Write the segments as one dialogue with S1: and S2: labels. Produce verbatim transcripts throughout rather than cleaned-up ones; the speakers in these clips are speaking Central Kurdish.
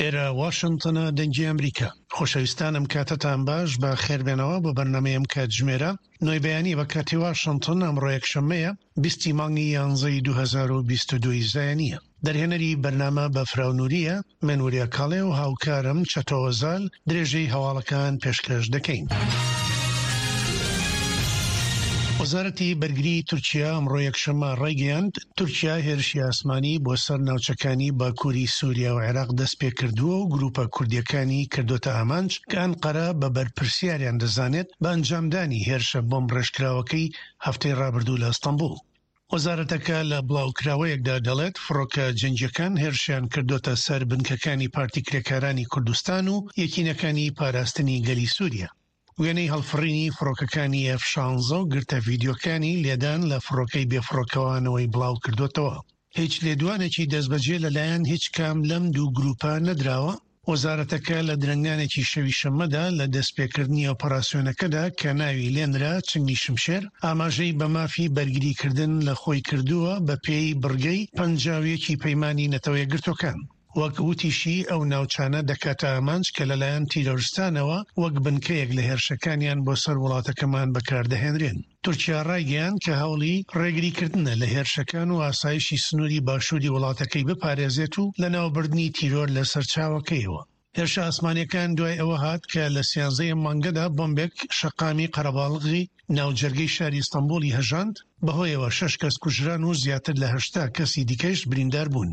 S1: ئێرە واشنتنە، دەنگی ئەمریکا. خۆشەویستان ئەم کاتەتان باش، بە خێربێنەوە بۆ بەرنامەی ئەم کاتژمێرە نۆی بەیانی بە کاتی واشنتن. ئەمڕۆ یەکشەممەیە، بیستی مانگی یانزەی دوو هەزار و بیست و دوو زایەنییە. دەرهێنەری بەرنامە بەفراو نوریە، من وریا کاڵێ و هاوکارم چەتۆ وەزال درێژەی هەواڵەکان پێشکەش دەکەین. وەزارەتی بەرگری تورکیا ئەمڕۆ یەکشەممە ڕایگەیاند، تورکیا هێرشی ئاسمانی بۆ سەر ناوچەکانی باکووری سووریا و عێراق دەست پێکردووە و گروپە کوردیەکانی کردوتە ئامانج کە ئەنقەرە بە بەرپرسیاریان دەزانێت بە ئەنجامدانی هێرشە بۆمب ڕێژکراوەکەی هەفتەی ڕابردوو لە ئەستەنبوڵ. وەزارەتەکە لە بڵاوکراوەیەکدا دەڵێت، فڕۆکە جەنگیەکان هێرشیان کردوتە سەر بنکەکانی پارتی کرێکارانی کوردستان و یەکینەکانی پاراستنی گەلی سووریا. وێنەی هەڵفڕینی فڕۆکەکانی ئێف شانزە و گرتە ڤیدیۆکانی لێدان لە فڕۆکەی بێفڕۆکەوانەوەی بڵاو کردوتەوە. هیچ لێدوانێکی دەستبەجێ لەلایەن هیچ کام لەم دوو گروپە نەدراوە. وەزارەتەکە لە درەنگانێکی شەوی شەممەدا لە دەستپێکردنی ئۆپەراسیۆنەکەدا کە ناوی لێنرا چنگی شمشێر، ئاماژەی بە مافی بەرگریکردن لە خۆی کردووە بە پێی بڕگەی پەنجا و یەکی پەیمانی نەتەوە یەکگرتووەکان. وەک وتیشی ئەو ناوچانە دەکاتە ئامانج کە لەلایەن تیرۆرستانەوە وەک بنکەیەک لە هێرشەکانیان بۆ سەر وڵاتەکەمان بەکاردەهێنرێن. تورکیا ڕایگەیاند کە هەوڵی ڕێگریکردنە لە هێرشەکان و ئاسایشی سنووری باشووری وڵاتەکەی بپارێزێت و لەناوبردنی تیرۆر لە سەرچاوەکەیەوە. هێرشە ئاسمانیەکان دوای ئەوە هات کە لە سیانزەی مانگەدا بۆمبێک شەقامی قەرەباڵغی ناوجەرگەی شاری ئیستانبوڵی هەژاند، بەهۆیەوە شەش کەس کوژران و زیاتر لە هەشتا کەسی دیکەش بریندار بوون.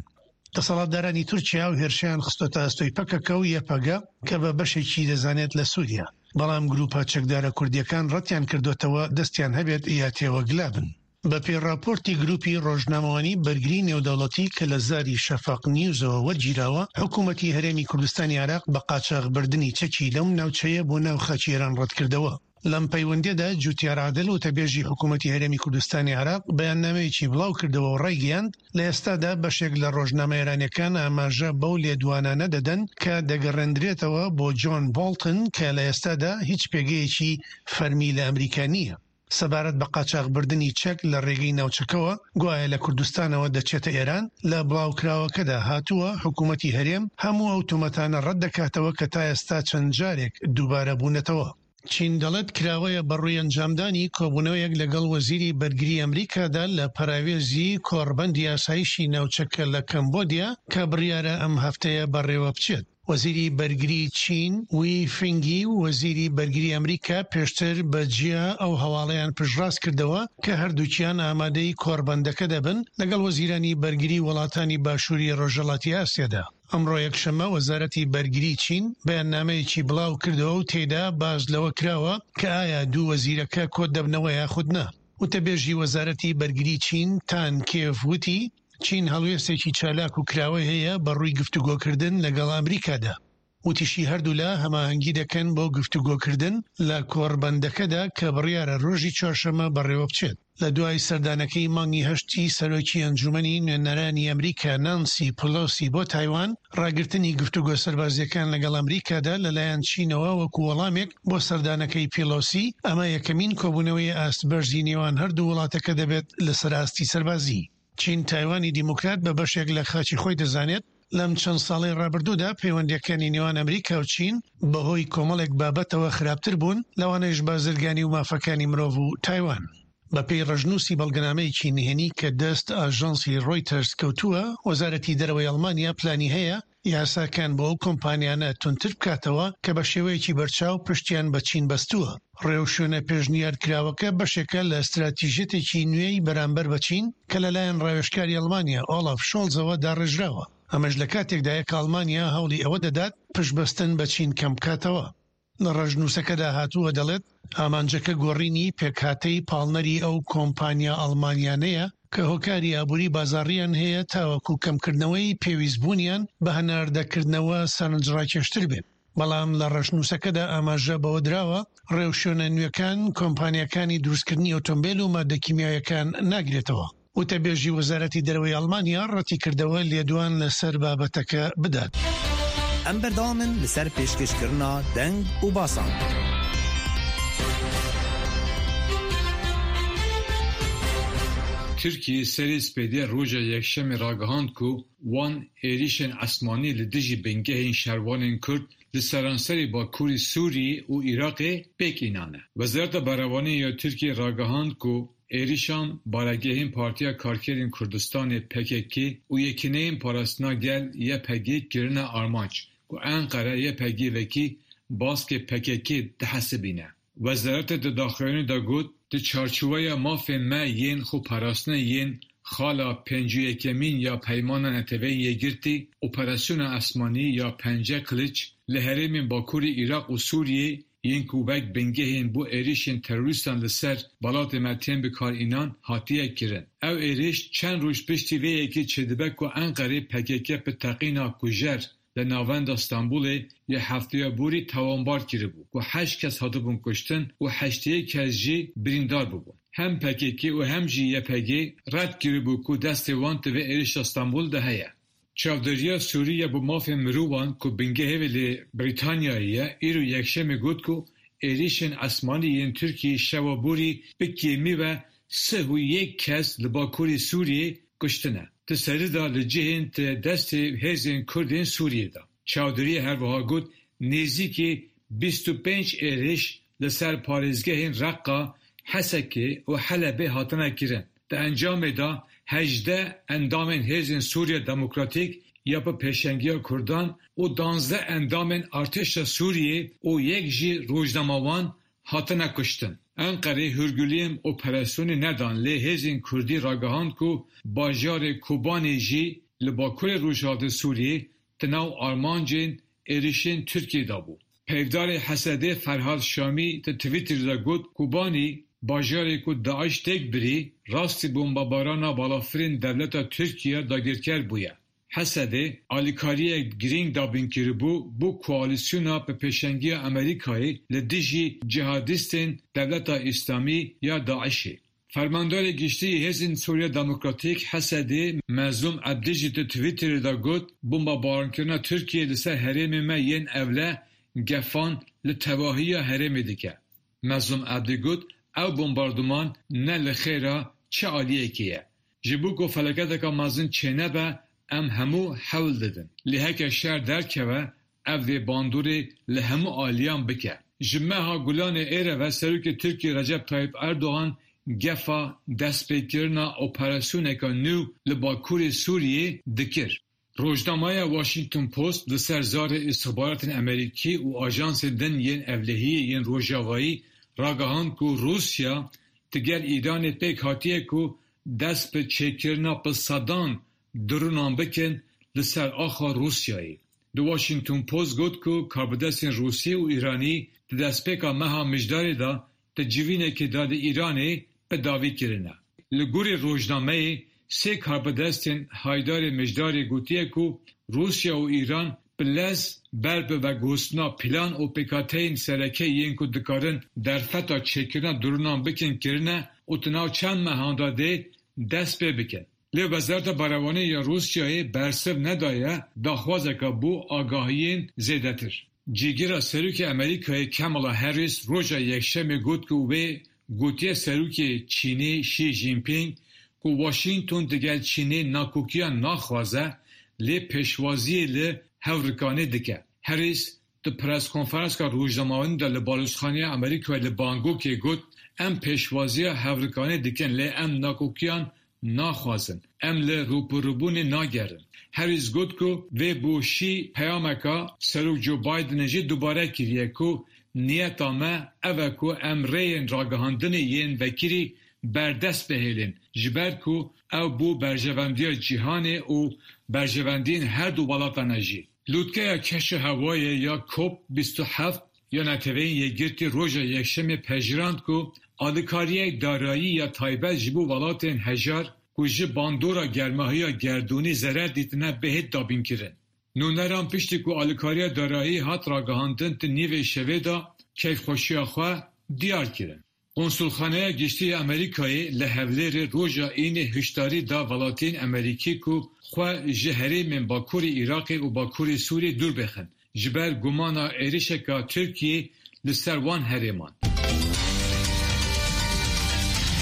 S1: دەسەڵاتدارانی تورکیا و هێرشیان خستۆتە ئەستۆی پەکەکە و یەپەگە کە بە بەشێکی دەزانێت لە سووریا، بەڵام گروپە چەکدارە کوردیەکان ڕەتیان کردوتەوە دەستیان هەبێت یا تێوەگلابن. بە پێی ڕاپۆرتی گروپی ڕۆژنامەوانی بەرگری نێودەوڵەتی کە لە زاری شەفەق نیوزەوە وەرگیراوە، حکوومەتی هەرێمی کوردستانی عێراق بە قاچاخبردنی چەکی لەم ناوچەیە بۆ ناو خاکی ئێران ڕەتکردەوە. لەم پەیوەندیدا جوتیار عادل وتەبێژی حکوومەتی هەرێمی کوردستانی عێراق بەیاننامەیەکی بڵاو کردەوە و ڕایگەیاند، لە ئێستادا بەشێک لە ڕۆژنامە ئێرانیەکان ئاماژە بەو لێدوانانە دەدەن کە دەگەڕێندرێتەوە بۆ جۆن بۆڵتن کە لە ئێستادا هیچ پێگەیەکی فەرمی لە ئەمریکا نییە. سەبارەت بە قاچاخبردنی چەک لە ڕێگەی ناوچەکەوە گوایە لە کوردستانەوە دەچێتە ئێران، لە بڵاوکراوەکەدا هاتووە حکوومەتی هەرێم هەموو ئەو تۆمەتانە ڕەت دەکاتەوە کە تا ئێستا چەند جارێک دووبارە بوونەتەوە. چین دەڵێت کراوەیە بەڕووی ئەنجامدانی کۆبوونەوەیەک لەگەڵ وەزیری بەرگری ئەمریکادا لە پەراوێزی کۆڕبەندی ئاسایشی ناوچەکە لە کەمبۆدیا کە بڕیارە ئەم هەفتەیە بەڕێوە بچێت. وەزیری بەرگری چین وی فینگی و وەزیری بەرگری ئەمریکا پێشتر بە جیا ئەو هەواڵەیان پشتڕاست کردەوە کە هەردووکیان ئامادەی کۆڕبەندەکە دەبن لەگەڵ وەزیرانی بەرگری وڵاتانی باشووری ڕۆژهەڵاتی ئاسیادا. ئەمڕۆ یەکشەممە وەزارەتی بەرگری چین بەیاننامەیەکی بڵاو کردەوە و تێیدا باس لەوە کراوە کە ئایا دوو وەزیرەکە کۆ دەبنەوە یاخود نا. وتەبێژی وەزارەتی بەرگری چین تان کێف وتی چین هەڵوێستێکی چالاک و کراوەی هەیە بە ڕووی گفتوگۆکردن لەگەڵ ئەمریکادا. وتیشی هەردوولا هەماهەنگی دەکەن بۆ گفتوگۆکردن لە کۆڕبەندەکەدا کە بڕیارە ڕۆژی چوارشەممە بەڕێوە بچێت. لە دوای سەردانەکەی مانگی هەشتی سەرۆکی ئەنجومەنی نوێنەرانی ئەمریکا نانسی پلۆسی بۆ تایوان، ڕاگرتنی گفتوگۆ سەربازیەکان لەگەڵ ئەمریکادا لەلایەن چینەوە وەکو وەڵامێک بۆ سەردانەکەی پیلۆسی، ئەمە یەکەمین کۆبوونەوەی ئاست بەرزی نێوان هەردوو وڵاتەکە دەبێت لەسەر ئاستی سەربازی. چین تایوانی دیموکرات بە بەشێک لە خاکی خۆی دەزانێت. لەم چەند ساڵەی ڕابردوودا پەیوەندیەکانی نێوان ئەمریکا و چین بەهۆی کۆمەڵێک بابەتەوە خراپتر بوون، لەوانەیش بازرگانی و مافەکانی مرۆڤ و تایوان. بەپێی ڕەشنووسی بەڵگەنامەیەکی نهێنی کە دەست ئاژانسی ڕۆیتەرز کەوتووە، وەزارەتی دەرەوەی ئەڵمانیا پلانی هەیە یاساکان بۆ ئەو کۆمپانیانە توندتر بکاتەوە کە بە شێوەیەکی بەرچاو پشتیان بە چین بەستووە. ڕێوشوێنە پێشنیارکراوەکە بەشێکە لە استراتیژیەتێکی نوێی بەرامبەر بە چین کە لەلایەن ڕاوێژکاری ئەڵمانیا ئۆلاف شۆڵزەوە داڕێژراوە. ئەمەش لە کاتێکدایە کە ئەڵمانیا هەوڵی ئەوە دەدات پشتبەستن بە چین کەم بکاتەوە. لە ڕەشنووسەکەدا هاتووە دەڵێت ئامانجەکە گۆڕینی پێکهاتەی پاڵنەری ئەو کۆمپانیا ئەڵمانیانەیە کە هۆکاری ئابووری بازاڕیان هەیە تاوەکو کەمکردنەوەی پێویستبوونیان بە هەناردەکردنەوە سەرنجڕاکێشتر بێت. بەڵام لە ڕەشنووسەکەدا ئاماژە بەوە دراوە ڕێوشوێنە نوێکان کۆمپانیاکانی دروستکردنی ئۆتۆمبیل و مادە کیمیاویەکان ناگرێتەوە. وتەبێژی وەزارەتی دەرەوەی ئەڵمانیا ڕەتی کردەوە لێدوان لەسەر بابەتەکە بدات.
S2: ئەم بەردەوامن لەسەر پێشکەشکردنا دەنگ و باسان.
S3: Tirkiyê serê spêdê roja yekşemê ragihand ku wan êrişên esmanî li dijî bingehên şervanên Kurd li seranserê Bakurê Sûriyê û Iraqê pêk înane. Wezareta Berevaniyê ya Tirkiyê ragihand ku êrişan baregehên Partiya Karkerên Kurdistanê P K K û Yekîneyên Parastina Gel Y P G kirine armanc ku Enqere Y P G wekî baskê P K K dihesibîne. Wezaretê di daxuyaniyê de got: Di çarçoveya mafên me yên xweparastinê yên xala pêncî û yekemîn ya Peymana Neteweyên Yekgirtî, operasyona esmanî ya Pence Kiliç li herêmên Bakurê Iraq û Sûriyê yên ku wek bingehên bo êrişên terorîstan li ser welatê me tên bikaranîn hatiye kirin. Ew êriş çend roj piştî vê yekê çêdibe ku Enqerê P K K bi teqîna kujer li navenda Stenbolê ya hefteya borî tawanbar kiribû ku heşt kes hatibûn kuştin û heştê yek kes jî birîndar bûbûn. Hem P K K û hem jî Y P G red kiribû ku destê wan di vê êrişa Stenbolê de heye. Çavdêriya Sûrî ya bo mafên mirovan ku bingehê wê li Brîtanyayê ye, îro yekşemê got ku êrişên esmanî yên Tirkiyê şeva borî bi kêmî ve sih û yek kes li Bakurê Sûriyê kuştine. Di serî de li cihên di destê hêzên Kurd ên Sûriyê de. Çavdêriyê her wiha got nêzîkî bîst û pênc êriş li ser parêzgehên Reqa, Hesekê û Helebê hatine kirin. Di encamê de hejdeh endamên Hêzên Sûriya Demokratîk ya bi pêşengiya Kurdan û duwazdeh endamên Artêşa Sûriyê û yek jî rojnamevan hatine kuştin. Enqerê hûrguliyên operasyonê nedan lê hêzên Kurdî ragihand ku bajarê Kobanê jî li Bakurê Rojhilatê Sûriyê di nav armancên êrişên Tirkiyê de bû. Peyvdarê Hesedê Ferhad Şamî di Twitterê de got Kobanî bajarê ku DAIŞ têk birî rastî bombebarana balafirên dewleta Tirkiye dagirker bûye. Hesedê alîkariyek girîng dabîn kiribû bo koalîsyona bi pêşengiya Amerîkayê li dijî cîhadîstên Dewleta Îslamî ya DAIŞê. Fermandarê Giştî yê Hêzên Sûriya Demokratîk Hesedê Mezlûm Ebdî jî di Twitterê de got Bombebarankirina Tirkiyê li ser herêmên me yên ewle gefan li tevahiya herêmê dike. Mezlûm Ebdî got ew bombardûman ne li xêra çi aliyekê ye. Ji bo ku felaketeke mezin çênebe em hemû hewl didin. Lê heke şer derkeve ev dê bandorê li hemû aliyan bike. Ji meha Gulanê êre ve Serokê Tirkiyê Recep Tayyip Erdogan gefa destpêkirina operasyoneke nû li Bakurê Sûriyê dikir. Rojnameya Washington Post li ser zarê îstixbaratên Amerîkî û ajansên din yên ewlehiyê yên Rojavayî ragihand ku Rûsya digel Îranê pêk hatiye ku dest bi çêkirina bi sedan dronan bikin li ser axa Rûsyayê. The Washington Post got ku karbidestên Rûsî û Îranî di destpêka meha Mijdarê de di civînekê de li Îranê bi dawî kirine. Li gorî rojnameyê sê karbidestên haydarê Mijdarê gotiye ku Rûsya û Îran bi lez ber bi veguhestina plan û pêkhateyên sereke yên ku dikarin derfeta çêkirina dronan bikin kirine û di nav çend mehan de dê dest pê bikin. Lê Wezareta Berevaniyê ya Rûsyayê bersiv nedaye daxwazeke bo agahiyên zêdetir. Cîgira Serokê Amerîkayê Kamala Harris roja Yekşemê got ku wê gotiye Serokê Çînê Xi Jinping ku Washington digel Çînê nakokiyan naxwaze lê pêşwaziyê li hevrikanê dike. Harris di preskonferansa rojnamevanî de li Balozxaneya Amerîkayê li Bangkokê got em pêşwaziya hevrikanê dikin lê em nakokiyan naxwazin. Em li rûbirûbûnê nagerin. Harris got ku wê bo Xi peyameka Serok Joe Bidenê jî dubare kiriye ku niyeta me ev e ku em rêyên ragihandinê yên vekirî berdest bihêlin ji ber ku ew bo berjewendiya cîhanê û berjewendiyên her du welatan e jî. Lûtkeya keşa hewayê ya COP bîst û heft ya Neteweyên Yekgirtî roja Yekşemê pejirand ku alîkariyek darayî ya taybet ji bo welatên hejar ku ji bandora germahiya gerdûnî zerer dîtine bihêt dabînkirin. Nûneran piştî ku alîkariya darayî hat ragihandin di nîvê şevê de keyfxweşiya xwe diyar kirin. Konsulxaneya Giştî ya Amerîkayê li Hewlêrê roja Înê hişyarî da welatiyên Amerîkî ku xwe ji herêmên Bakurê Iraqê û Bakurê Sûriyê dûr bixin, ji ber gumana êrişeke Tirkiyê li ser wan herêman.